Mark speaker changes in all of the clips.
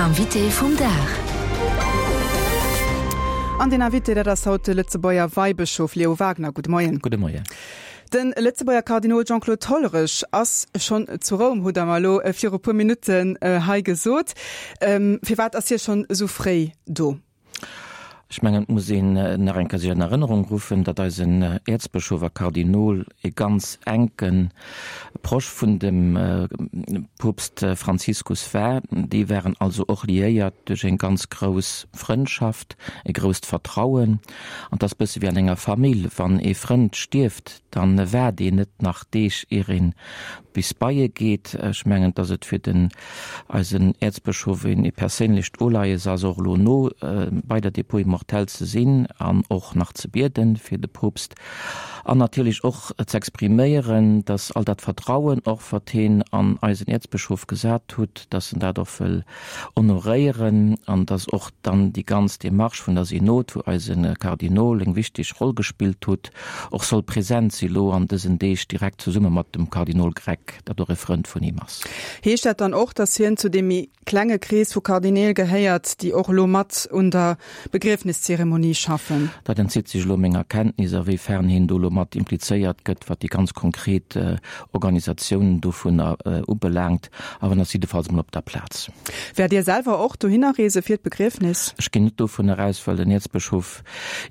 Speaker 1: Invité vum Dag.
Speaker 2: An den Invité, dat ass haut de Lëtzebuerger Weibëschof Leo Wagner. Gudde Moien.
Speaker 3: Gudde Moien.
Speaker 2: De Lëtzebuerger Kardinol Jean-Claude Hollerich ass schonn zu Roum, hutt Der mer elo viru puer Minutten hei gesot. Firwat ass hie schonn esou fréi do?
Speaker 3: Ech mengen, et muss een nach eng Kéier sech an Erënnerung ruffen, datt eisen Äerzbëschof a Kardinol e ganz enke Proche vun dem Poopst Franziskus war. Déi waren also och liéiert duerch eng ganz grouss Frëndschaft, e grousst Vertrauen. An et ass bësse wéi an enger Famill, wann ee Frënd stierft, da waart een net nach Deeg, ier een bis bei e geet. Ech mengen, datt et fir den eisen Äerzbëschof een ee perséinlecht Uleies ass, och elo no bei der Dépouille mortelle ze sinn an och nach ze bieden fir de Poopst an natierlech och z'expriméieren, datt all dat Vertrauen och, wat heen an eisen Äerzbëschof gesat hutt, datt en dat och wëll honoréieren an datt och dann déi ganz Démarche vun der Synod, wou eise Kardinol eng wichteg Roll gespillt hutt, och soll present si lo an dësen Deeg direkt zesumme mat dem Kardinol Grech, dat och e Frënd vun him ass.
Speaker 2: Heescht dat dann och, datt hien zu deem méi klenge Krees vu Kardineel gehéiert, déi och elo mat un der Begriefniszeremonie schaffen?
Speaker 3: Dat entzitt sech elo menger Kenntnis, a wéi fern hien do elo mat implizéiert gëtt, wat déi ganz konkret Organisatioun dovunner ubelaangt. Awer en ass jiddefalls emol op der Plaz.
Speaker 2: Wäert Dir selwer och dohinner reese fir d'Begriefnis?
Speaker 3: Ech ginn net dovunner aus, well den Äerzbëschof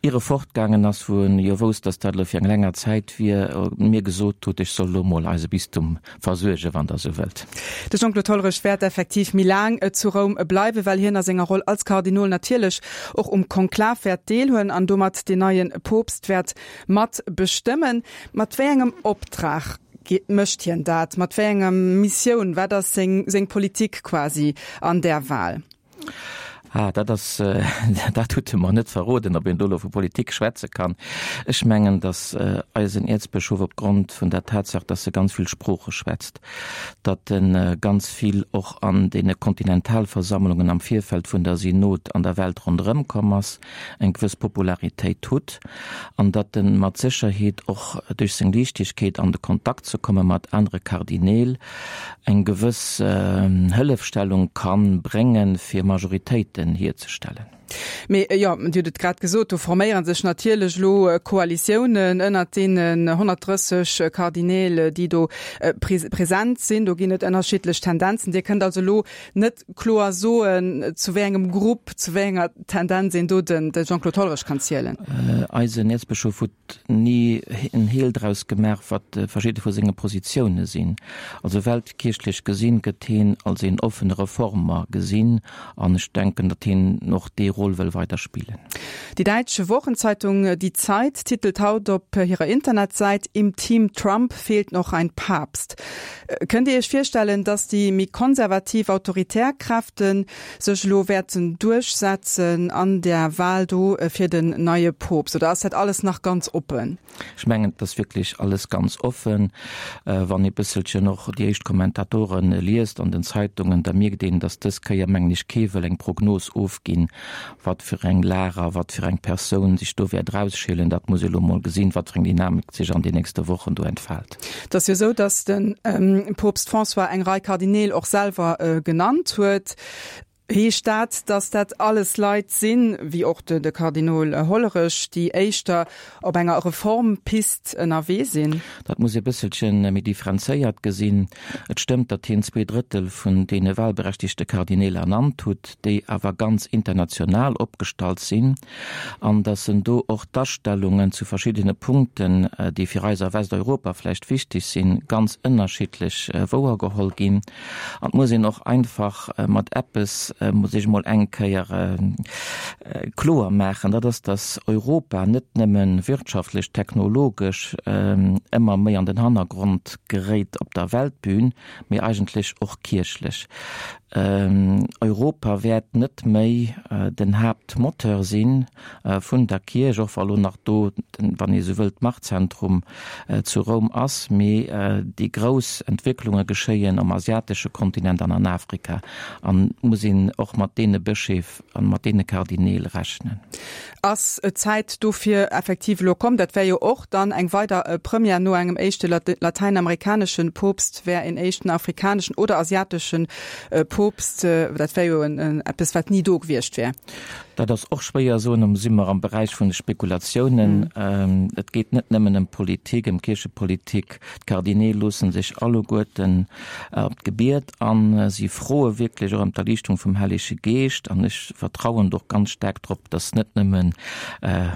Speaker 3: ier e fortgaangen ass, wou en jo wousst, dass dat elo fir eng länger Zäit wier, mir gesot hutt, ech soll elo mol eise Bistum versuergen, wann Der esou wëllt.
Speaker 2: De Jean-Claude Hollerich wäert effektiv méi laang zu Roum bleiwen, well hien a senger Roll als Kardinol natierlech och um Konklav wäert deelhuelen an domat deen neie Poopst wäert mat bestëmmen. Mat wéi engem Optrag mécht hien dat? Mat wéi enger Missioun? Wat ass seng Politik quasi an där Wal?
Speaker 3: Ah, dat ass, dat hutt e mer net verroden, ob een do elo vu Politik schwätze kann. Ech mengen, datt eisen Äerzbëschof opgrond vun der Tatsaach, datt e ganz vill Sprooche schwätzt, datt e ganz vill och an deene Kontinentalversammlungen am Virfeld vun der Synod an der Welt ronderëm komm ass, eng gewëss Popularitéit hutt an datt e mat Sécherheet och duerch seng Liichtegkeet an de Kontakt ze komme mat anere Kardineel, eng gewëss Hëllefstellung ka bréngen, fir Majoritéiten hierzestellen.
Speaker 2: Mee jo, Dir hutt et grad gesot, do forméiere sech natierlech elo Koalitiounen ënnert deenen 130 Kardineel, déi do present sinn. Do ginn et ënnerschiddlech Tendenzen. Dir kënnt also elo net kloer soen, zu wéi engem Grupp, zu wéi enger Tendenz een do de Jean-Claude Hollerich kann zielen.
Speaker 3: Eisen Äerzbëschof huet ni en Heel draus gemaach, wat verschidde vu senge Positioune sinn. Also weltkierchlech gesinn, gëtt heen als een offene Reformer gesinn an ech denken, datt heen och dee Rôle wëll weider spillen.
Speaker 2: Déi däitsch Wochenzeitung Die Zeit titelt haut op hirer Internetsäit, Im Team Trump fehlt noch ein Papst. Kënnt Dir Iech virstellen, datt déi méi konservativ autoritär Kräfte sech elo wäerten duerchsetzen an där Wahl do fir den neie Poopst, oder ass dat alles nach ganz oppen?
Speaker 3: Ech mengen, et ass wierklech alles ganz offen. Wann ee bësselchen och déi éischt Kommentatoren liest an den Zeitungen, da mierkt een, datt dës Kéier, mengen ech, kee wëll eng Prognos ofginn, wat fir eng Lag a wat fir eng Persoun sech do wäert erausschielen. Dat muss ee elo mol gesinn, wat fir eng Dynamik sech an den nächste Wochen do entfaalt.
Speaker 2: Et ass jo esou, datt de Poopst François eng Rei Kardineel och selwer genannt huet. Heescht dat, datt dat alles Leit sinn, wéi och de Kardinol Hollerich, déi éischter op enger Reformpist ënnerwee sinn?
Speaker 3: Dat muss ee bësselche méi differenzéiert gesinn. Et stëmmt, datt hien 2/3 vun deene wahlberechtigte Kardineel ernannt hutt, déi awer ganz international opgestallt sinn. an datt en do och d'Astellungen zu verschiddene Punkten, déi fir eis a Westeuropa vläicht wichteg sinn, ganz ënnerschiddlech wouergeholl ginn. An et muss een och einfach mat eppes, muss ech emol eng Kéier kloer maachen, dat ass, datt Europa net nëmme wirtschaftlech, technologesch ëmmer méi an den Hannergrond geréit op der Weltbün, mee eigentlech och kierchlech. Europa wäert net méi den Haaptmoteur si vun der Kierch, och wa lo nach do, wann ee sou wëllt, d'Machtzentrum zu Roum ass, mee déi grouss Entwécklunge geschéien am asiatesche Kontinent an an Afrika. An et muss ee. een och mat deene Bëscheef an mat deene Kardineel rechnen.
Speaker 2: Ass d'Zäit dofir effektiv elo komm? Dat wär jo och dann eng weider Première, no engem éischte latäinamerikanesche Poopst wär en éischten afrikaneschen oder asiatesche Poopst, dat wär jo eppes, wat ni do gewiescht wär.
Speaker 3: Dat ass och schwéier soen, do si mer am Beräich vun de Spekulatiounen. Et geet net nëmmen ëm Politik, ëm Kierchepolitik. D'Kardineel loosse sech alleguerten op d'Gebiet an. Si froe wierklech och ëm d'Erliichtung vum Hellege Geescht. An ech vertrauen do och ganz staark drop, datt net nëmme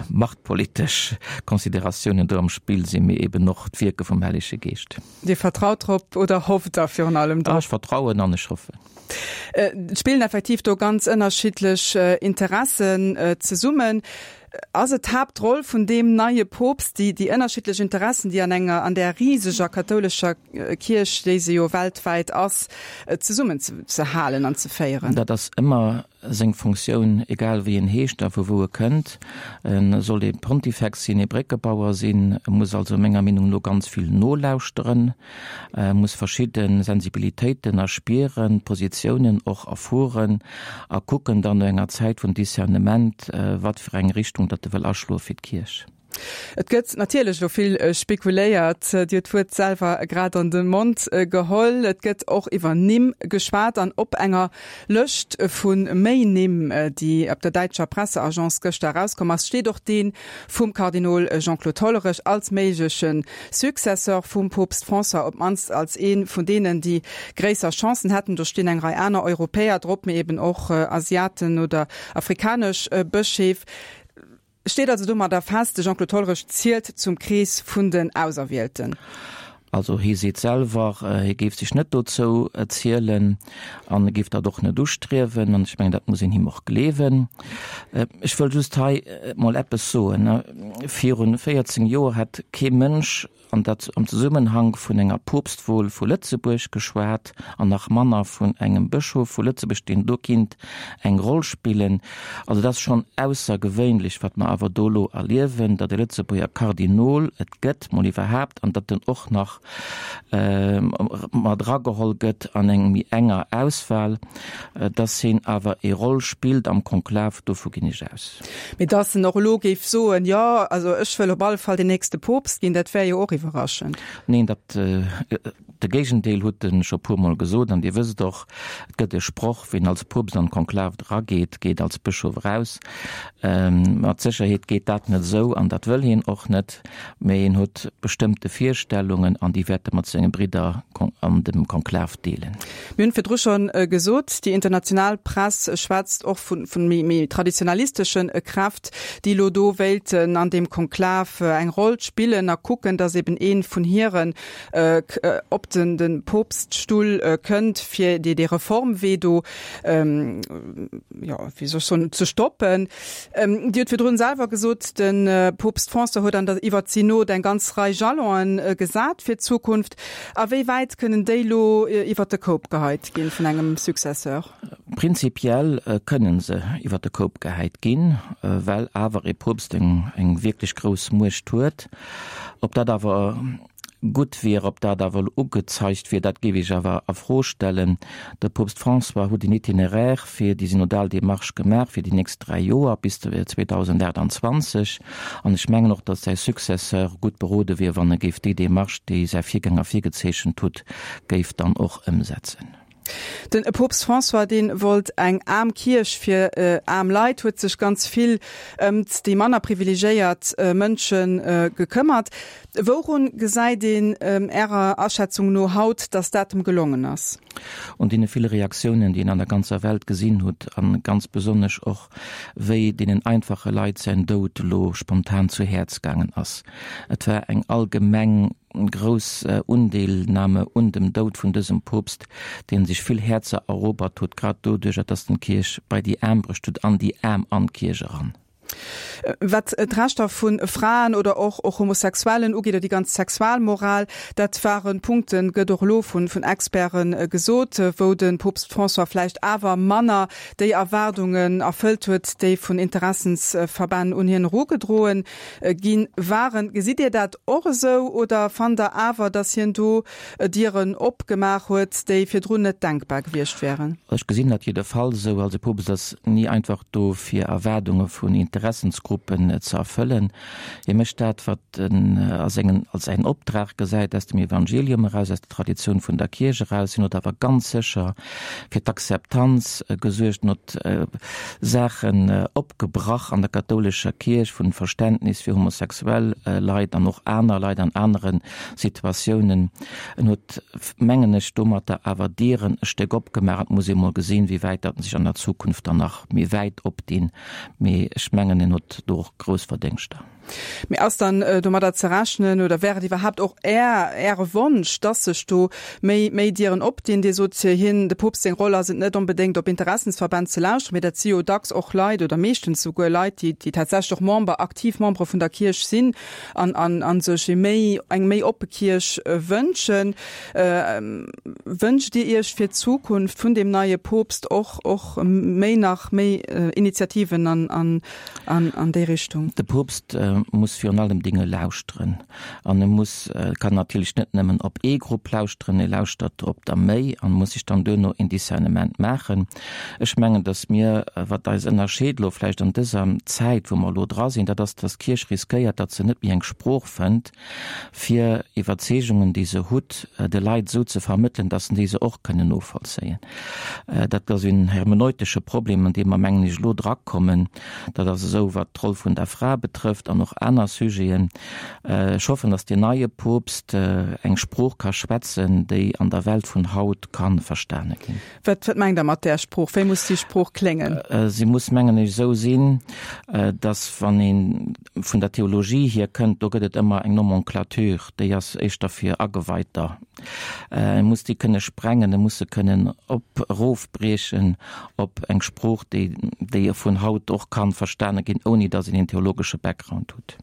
Speaker 3: machtpolitesch Consideratiounen do am Spill sinn, mee eben och d'Wierke vum Hellege Geescht.
Speaker 2: Dir vertraut drop oder hofft Der virun allem drop?
Speaker 3: Ech vertrauen an ech hoffen.
Speaker 2: Et spillen effektiv do ganz ënnerschiddlech Interessen zesummen. Ass et d'Haaptroll vun deem neie Poopst, déi déi ënnerschiddlech Interessen, déi an enger, an där riseger kathoulescher Kierch, déi se jo weltwäit ass, zesummen ze halen an ze féieren?
Speaker 3: Dat ass ëmmer seng Funktioun, egal wéi en heescht a vu wou e kënnt. E soll ee Pontifex sinn, ee Bréckebauer sinn. E muss also menger Meenung no ganz vill nolauschteren, e muss verschidde Sensibilitéiten erspieren, Positiounen och erfueren a kucken dann no enger Zäit vun Discernement, wat fir eng Richtung datt e wëll aschloe fir d'Kierch.
Speaker 2: Et gëtt natierlech elo vill spekuléiert. Dir hutt d'Wuert selwer grad an de Mond geholl. Et gëtt och iwwer Nimm geschwat an op enger Lëscht vu méi Nimm, déi op der däitscher Presseagence gëschter erauskomm ass, steet och dee vum Kardinol Jean-Claude Hollerich als méigleche Successeur vum Poopst François, op d'mannst als ee vun deenen, déi gréisser Chancen hätten. Do stinn eng Rei aner Europäer drop, mee eben och Asiaten oder afrikanesch Bëscheef. Steet also domadder fest, de Jean-Claude Hollerich zielt zum Krees vun den Auserwielten.
Speaker 3: Also hie seet selwer, hie géif sech net dozou zielen an e géif dat och net ustriewen. An ech mengen, dat muss een him och gleewen. Ech wëll just hei mol eppes soen. Virun 14 Joer hätt kee Mënsch an dat am Zesummenhank vun enger Poopstwol vu Lëtzebuerg geschwat an nach manner vun engem Bëschof vu Lëtzebuerg, deen do kinnt eng Roll spillen. Also et ass schonn aussergewéinlech, wat mer awer do elo erliewen, datt e Lëtzebuerger Kardinol et gëtt, mol iwwerhaapt, an datt en och nach mat erageholl gëtt an eng méi enger Auswahl. Datt hien awer e Roll spillt am Konklav, dovu ginn ech aus.
Speaker 2: Mee dass en och elo géif soen, jo, also ech wëll op alle Fall den nächste Poopst ginn, dat wär jo och iwwerraschend.
Speaker 3: Neen, dat, de Géigendeel huet e scho puermol gesot. An Dir wësst och, et gëtt e Sproch, Wien als Poopst an d'Konklav erageet, geet als Bëschof eraus. Mat Sécherheet geet dat net esou an dat wëll hien och net. Mee en huet bestëmmte Virstellungen an déi wäert e mat senge Bridder an dem Konklav deelen.
Speaker 2: Mir hunn virdru schonn gesot, déi international Press schwätzt och vu méi traditionalistesche Kräft, déi elo do wéilten an deem Konklav eng Roll spillen a kucken, datt eben ee vun hiren op de Poopststull kënnt, fir dee Reformwee do, jo, wéi soll ech soen, ze stoppen. Dir hutt virdrun selwer gesot, de Poopst François huet an der iwwer d'Synod eng ganz Rei Jalonen gesat fir d'Zukunft. A wéi wäit kënnen déi elo iwwer de Koup geheit ginn vun engem Successeur?
Speaker 3: Prinzipiell kënnen se iwwer de Koup gehäit ginn, well awer ee Poopst eng wierklech grouss Muecht huet. Ob dat awer gutt wier, ob dat awer elo ugezeigt wier, dat géif ech awer a Fro stellen. De Poopst François huet en Itinéraire fir déi synodal Démarche gemaach fir déi nächst 3 Joer bis 2028 an ech mengen och, datt säi Successeur gutt berode wier, wann e géif déi Démarche, déi säi Virgänger virgezeechent hutt, géif dann och ëmsetzen.
Speaker 2: Den Poopst François, dee wollt eng aarm Kierch fir aarm Leit, huet sech ganz vill ëmt déi manner privilegéiert Mënsche gekëmmert. Wourun gesäit een Ärer Aschätzung no haut, datt dat em gelongen ass?
Speaker 3: Un deene ville Reaktiounen, déi een an der ganzer Welt gesinn hutt, a ganz besonnesch och wéi deenen einfache Leit säin Doud elo spontan zu Häerz gaangen ass. Et war eng allgemeng grouss Undeelnahme un dem Doud vun dësem Poopst, deen sech vill Häerzer erobert huet, grad doduercher, datt en d'Kierch bei déi Aarm bruecht huet, an déi Aarm an d'Kierch eran.
Speaker 2: Wat d'Rechter vu Fraen oder och och Homosexuellen ugeet, oder déi ganz Sexualmoral, dat ware Punkten, gëtt och elo vun Experte gesot, wou de Poopst François vläicht awer manner déi Erwaardungen erfëllt huet, déi vun Interessensverbänn un hien erugedroe gi waren. Gesitt Dir dat och esou oder fannt Der awer, datt hien do Dieren opgemaach huet, déi virdrun net denkbar gewiescht wären?
Speaker 3: Ech gesinn dat jiddefalls esou. Also de Poopst ass ni einfach do fir Erwaardunge vun Interessensgruppen ze erfëllen. Hie mécht dat, wat en a sengen, als säin Optrag gesäit, aus dem Evangelium eraus, aus der Traditioun vun der Kierch eraus. Hien huet awer ganz sécher fir d'Akzeptanz gesuergt, en huet Saachen opgebrach an der kathoulescher Kierch vun Verständnis fir homosexuell Leit an och aner Leit an anere Situatiounen. En huet, mengen ech, domatter awer Dieren e Stéck opgemaach. Et muss ee mol gesinn, wéi wäit datt sech an der Zukunft dann nach méi wäit opdinn. Mee ech mengen, en huet do och grouss Verdéngschter.
Speaker 2: Mee ass dann domadder ze rechnen oder wär et iwwerhaapt och Är, Äre Wonsch, dass sech do méi, méi Dieren opdinn? Dir sot, hien, de Poopst seng Roll ass et net onbedéngt op Interessensverbänn ze lauschteren, mee dat si jo dacks och Leit oder meeschtens souguer Leit, déi, déi tatsächlech och Member, aktiv Membere vun der Kierch sinn an, an, an sech ee méi, eng méi oppe Kierch wënschen. Wënscht Dir Iech fir d'Zukunft vun deem neie Poopst och, och méi nach méi Initiativen an, an, an, an déi Richtung?
Speaker 3: De Poopst muss virun allem Dinge lauschteren an e muss, kann natierlech net nëmmen op ee Grupp lauschteren, e lauschtert op der méi an muss sech dann duerno een Discernement maachen. Ech mengen, datt mir, wat eis ënnerscheet elo vläicht an dëser Zäit, wou mer elo dra sinn, dat ass, datt d'Kierch riskéiert, datt se net méi eng Sprooch fënnt, fir Iwwerzeegungen, déi se hutt, de Leit esou ze vermëttelen, dass déi se och kënnen novollzéien. Dat ass en hermeneutesche Problem, an dee mer, mengen ech, elo drakommen. Dat ass esou, wat d'Roll vun der Fra betrëfft an och aner Sujeten. Ech hoffen, dass deen neie Poopst eng Sprooch ka schwätzen, déi an der Welt vun haut ka verstane ginn.
Speaker 2: Wat mengt Der mat där Sprooch? Wéi muss déi Sprooch kléngen?
Speaker 3: Si muss, mengen ech, esou sinn, dass, wann ee vun der Theologie hier kënnt, do gëtt et ëmmer eng Nomenclature, déi ass éischter fir Ageweiter. E muss déi kënne sprengen, e muss se kënnen op, erofbriechen op eng Sprooch, déi, déi vun haut och kann verstane ginn, ouni datt een een theologesche Background hutt.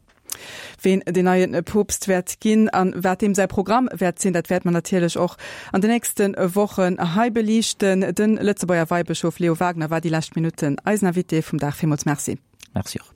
Speaker 2: Ween deen neie Poopst wäert ginn an wat deem säi Programm wäert sinn, dat wäerte mer natierlech och an de nächste Wochen hei beliichten. De Lëtzebuerger Weibëschof Leo Wagener war déi lescht Minutten eisen Invité vum Dag. Villmools Merci.
Speaker 3: Merci och.